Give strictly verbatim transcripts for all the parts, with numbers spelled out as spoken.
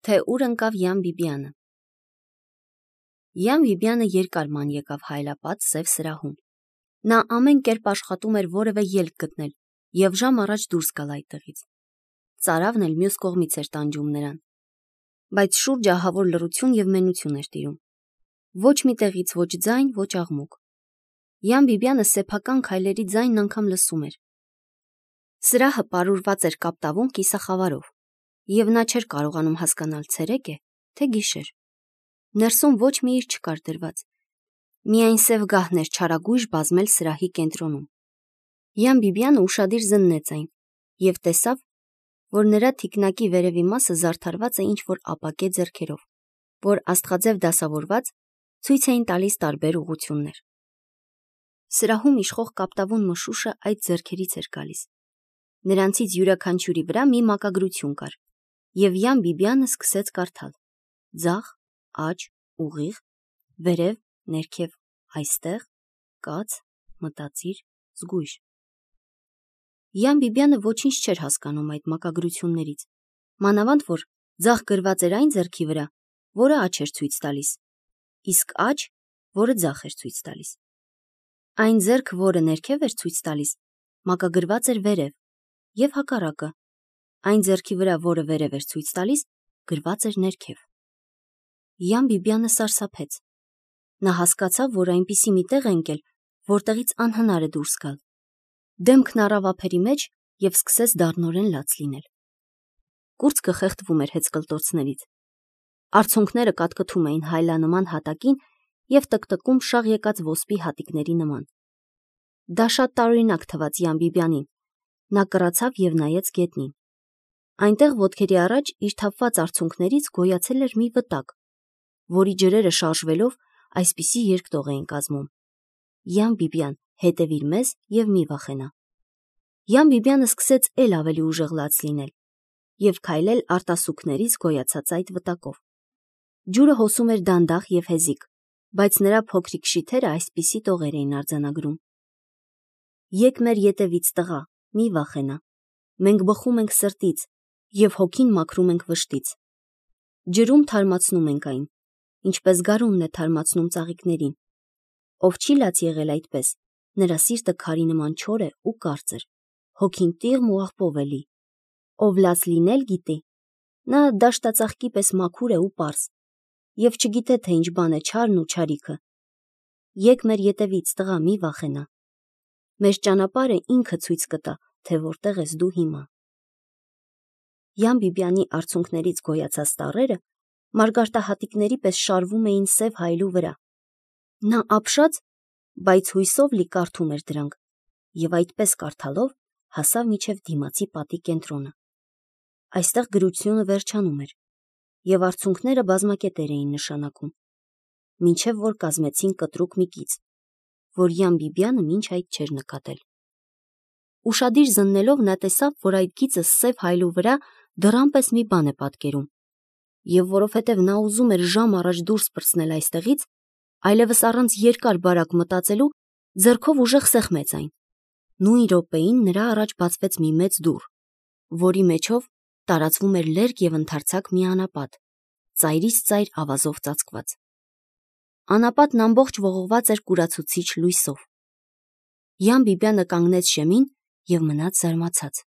թե ուր ընկավ Յան Բիբյանը։ Յան Բիբյանը երկար ման եկավ հայլապատ սև սրահում։ Նա ամեն կերպ աշխատում էր որևէ ելք գտնել և ժամ առաջ դուրս գալ այդտեղից։ Ծարավն էլ մյուս կողմից էր տանջում նրան, բայց շուրջը ահավոր լռություն և մենություն էր տիրում։ Ոչ մի տեղից ոչ ձայն, ոչ աղմուկ։ Յան Բիբյանը սեփական քայլերի ձայնն անգամ լսում էր։ Սրահը պարուրված էր կապտավուն կիսախավարով, և նա չէր կարողանում հասկանալ ցերեկ է, թե գիշեր։ Ներսում ոչ մի իր չկար դրված, միայն սև գահն էր չարագույժ բազմել սրահի կենտրոնում։ Յան Բիբյանը ուշադիր զննեց այն և տեսավ, որ նրա թիկնակի վերևի մասը զարդարված է ինչ-որ ապակե ձեռքերով, որ աստղաձև դասավորված ցույց էին տալիս տարբեր ուղղություններ։ Սրահում իշխող կապտավուն մշուշը այդ ձեռքերից էր գալիս։ Նրանցից յուրաքանչյուրի վրա մի մակագրություն կար, և Յան Բիբյանը սկսեց կարդալ. ձախ, աջ, ուղիղ, վերև, ներքև, այստեղ, կաց, մտածիր, զգույշ։ Յան Բիբյանը ոչինչ չէր հասկանում այդ մակագրություններից, մանավանդ որ ձախ գրված էր այն ձեռքի վրա, որը աջ էր ցույց տալիս, իսկ աջ, որը ձախ էր ցույց տալիս։ Այն ձեռքը, որը ներքև էր ցույց տալիս, մակագրված էր վերև, և հակառակը, այն ձեռքի վրա, որը վերև էր ցույց տալիս, գրված էր ներքև։ Յան Բիբյանը սարսափեց։ Նա հասկացավ, որ այնպիսի մի տեղ է ընկել, որտեղից անհնար է դուրս գալ։ Դեմքն առավ ափերի մեջ և սկսեց դառնորեն լաց լինել։ Կուրծքը խեղդվում էր հեծկլտոցներից։ Արցունքները կատկթում էին հայլանման հատակին և տկտկում շաղ եկած ոսպի հատիկների նման։ Դա շատ տարօրինակ թվաց Յան Բիբյանին։ Նա կռացավ և նայեց գետնին։ Այնտեղ ոտքերի առաջ իր թափված արցունքներից գոյացել էր մի վտակ, որի ջրերը շարժվելով այսպիսի երկտող էին կազմում. «Յան Բիբյան, հետևիր մեզ և մի վախենա»։ Յան Բիբյանը սկսեց էլ ավելի ուժեղ լաց լինել և քայլել արտասուքներից գոյացած այդ վտակով։ Ջուրը հոսում էր դանդաղ և հեզիկ, բայց նրա փոքրիկ շիթերը այսպիսի տողեր էին արձանագրում. «Եկ մեր ետևից, տղա, մի վախենա, մենք բխում ենք սրտից և հոգին մաքրում ենք վշտից։ Ջրում թարմացնում ենք այն, ինչպես գարունն է թարմացնում ծաղիկներին։ Ով չի լաց եղել այդպես, նրա սիրտը քարի նման չոր է ու կարծր, հոգին տիղմ ու աղբով է լի։ Ով լաց լինել գիտի, նա դաշտածաղկի պես մաքուր է ու պարզ, և չգիտե, թե ինչ բան է չարն ու չարիքը։ Եկ մեր ետևից, տղա, մի վախենա։ Մեր ճանապարհը ինքը ցույց կտա, թե որտեղ ես դու հիմա»։ Յան Բիբյանի արցունքներից գոյացած տառերը մարգարտահատիկների պես շարվում էին սև հայլու վրա։ Նա ապշած, բայց հույսով լի կարդում էր դրանք, և այդպես կարդալով հասավ մինչև դիմացի պատի կենտրոնը։ Այստեղ գրությունը վերջանում էր, և արցունքները բազմակետեր էին նշանակում, մինչև որ կազմեցին կտրուկ մի կից, որ Յան Բիբյանը մինչ այդ չէր նկատել։ Ուշադիր զննելով նա տեսավ, որ այդ գիծը սև հայլու վրա դռան պես մի բան է պատկերում, և որովհետև նա ուզում էր ժամ առաջ դուրս պրծնել այստեղից, այլևս առանց երկար բարակ մտածելու ձեռքով ուժեղ սեղմեց այն։ Նույն րոպեին նրա առաջ բացվեց մի մեծ դուռ, որի միջով տարածվում էր լերկ և ընդարձակ մի անապատ, ծայրից ծայր ավազով ծածկված։ Անապատն ամբողջ ողողված էր կուրացուցիչ լույսով։ Յան Բիբյանը կանգնեց շեմին և մնաց զարմացած։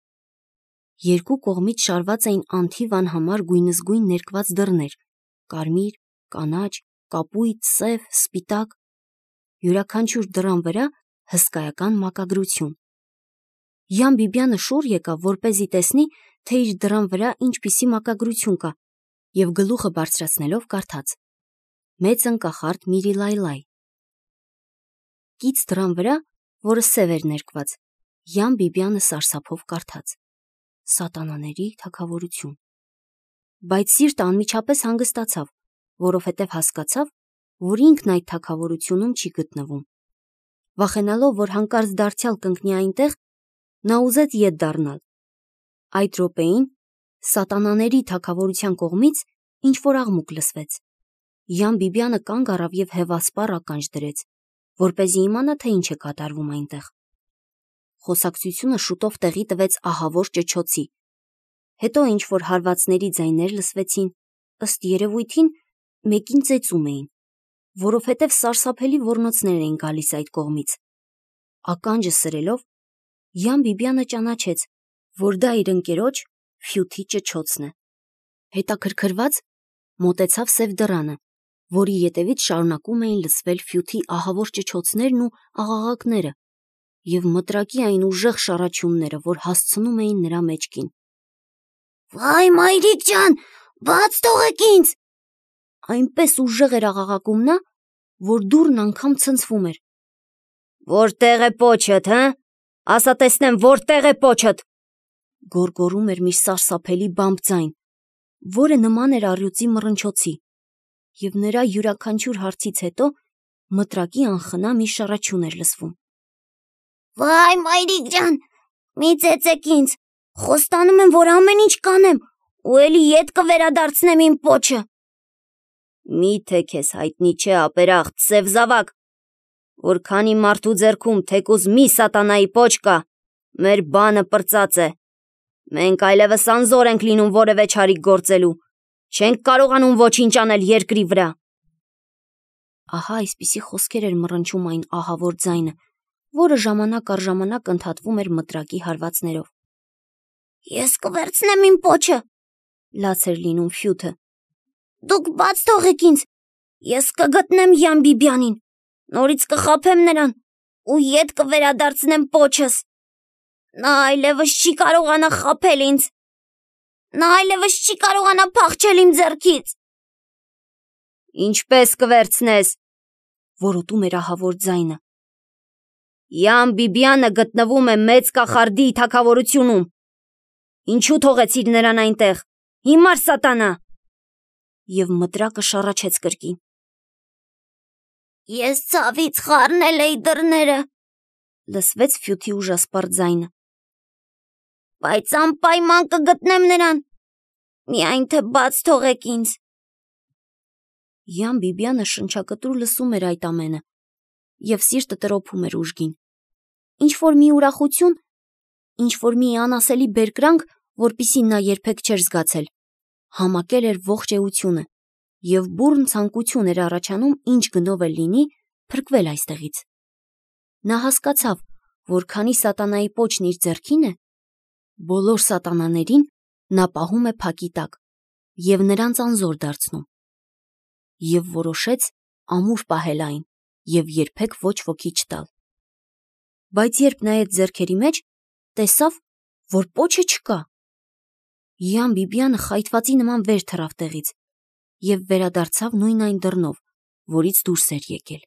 Երկու կողմից շարված էին անթիվ անհամար գույնզգույն ներկված դռներ՝ կարմիր, կանաչ, կապույտ, սև, սպիտակ։ Յուրաքանչյուր դռան վրա հսկայական մակագրություն։ Յան Բիբյանը շուռ եկավ, որպեսզի տեսնի, թե իր դռան վրա ինչպիսի մակագրություն կա, և գլուխը բարձրացնելով կարդաց. «Մեծն կախարդ Միրիլայլայ»։ Կից դռան վրա, որը սև էր ներկված, Յան Բիբյանը սարսափով կարդաց. «Սատանաների թագավորություն»։ Բայց սիրտը անմիջապես հանգստացավ, որովհետև հասկացավ, որ ինքն այդ թագավորությունում չի գտնվում։ Վախենալով, որ հանկարծ դարձյալ կընկնի այնտեղ, նա ուզեց ետ դառնալ։ Այդ րոպեին սատանաների թագավորության կողմից ինչ-որ աղմուկ լսվեց։ Յան Բիբյանը կանգ առավ և հևասպառ ականջ դրեց, որպեսզի իմանա, թե ինչ է կատարվում այնտեղ։ Խոսակցությունը շուտով տեղի տվեց ահավոր ճչոցի։ Հետո ինչ-որ հարվածների ձայներ լսվեցին, ըստ երևույթին մեկին ծեծում էին, որովհետև սարսափելի ոռնոցներ էին գալիս այդ կողմից։ Ականջը սրելով, Յան Բիբյանը ճանաչեց, որ դա իր ընկերոջ Ֆյութի ճչոցն է։ Հետաքրքրված մոտեցավ սև դռանը, որի ետևից շարունակում էին լսվել Ֆյութի ահավոր ճչոցներն ու աղաղակները և մտրակի այն ուժեղ շառաչյունները, որ հասցնում էին նրա մեջքին։ «Վայ, մայրիկ ջան, բաց թողեք ինձ»։ Այնպես ուժեղ էր աղաղակում նա, որ դուռն անգամ ցնցվում էր։ «Որտե՞ղ է պոչդ, հը, ասա տեսնեմ, որտե՞ղ է պոչդ», գոռգոռում էր մի սարսափելի բամբ ձայն, որը նման էր առյուծի մռնչոցի, և նրա յուրաքանչյուր հարցից հետո մտրակի անխնա մի շառաչյուն էր լսվում։ «Վայ, մայրիկ ջան, մի ծեծեք ինձ, խոստանում եմ, որ ամեն ինչ կանեմ, ու էլի ետ կվերադարձնեմ իմ պոչը»։ «Մի՞թե քեզ հայտնի չէ, ապերախտ, սև զավակ, որ քանի մարդու ձեռքում թեկուզ մի սատանայի պոչ կա, մեր բանը պրծած է։ Մենք այլևս անզոր ենք լինում որևէ չարիք գործելու, չենք կարողանում ոչինչ անել երկրի վրա»։ Ահա այսպիսի խոսքեր էր մռնչում այն ահավոր ձայնը, որը ժամանակ առ ժամանակ ընդհատվում էր մտրակի հարվածներով։ «Ես կվերցնեմ իմ պոչը», լաց էր լինում Ֆյութը։ «Դուք բաց թողեք ինձ, ես կգտնեմ Յան Բիբյանին, նորից կխաբեմ նրան ու ետ կվերադարձնեմ պոչս։ Նա այլևս չի կարողանա խաբել ինձ, նա այլևս չի կարողանա փախչել իմ ձեռքից»։ «Ինչպես կվերցնես», որոտում էր ահավոր ձայնը։ «Յան Բիբյանը գտնվում է Մեծ կախարդի թագավորությունում։ Ինչու թողեցիր նրան այնտեղ, հիմար սատանա»։ Եվ մտրակը շառաչեց կրկին։ «Ես ցավից խառնել էի դռները», լսվեց Ֆյութի ուժասպառ ձայնը։ «Բայց անպայման կգտնեմ նրան, միայն թե բաց թողեք ինձ»։ Յան Բիբյանը շնչակտուր լսում էր այդ ամենը և սիրտը տրոփում էր ուժգին։ Ինչ-որ մի ուրախություն, ինչ-որ մի անասելի բերկրանք, որպիսի նա երբեք չէր զգացել, համակել էր ողջ էությունը, և բուռն ցանկություն էր առաջանում ինչ գնով էլ լինի փրկվել այստեղից։ Նա հասկացավ, որ քանի սատանայի պոչն իր ձեռքին է, բոլոր սատանաներին նա պահում է փակի տակ և նրանց անզոր դարձնում, և որոշեց ամուր պահել այն և երբեք ոչ ոքի չտալ։ Բայց երբ նայեց ձեռքերի մեջ, տեսավ, որ պոչը չկա։ Յան Բիբյանը խայթվածի նման վեր թռավ տեղից և վերադարձավ նույն այն դռնով, որից դուրս էր եկել։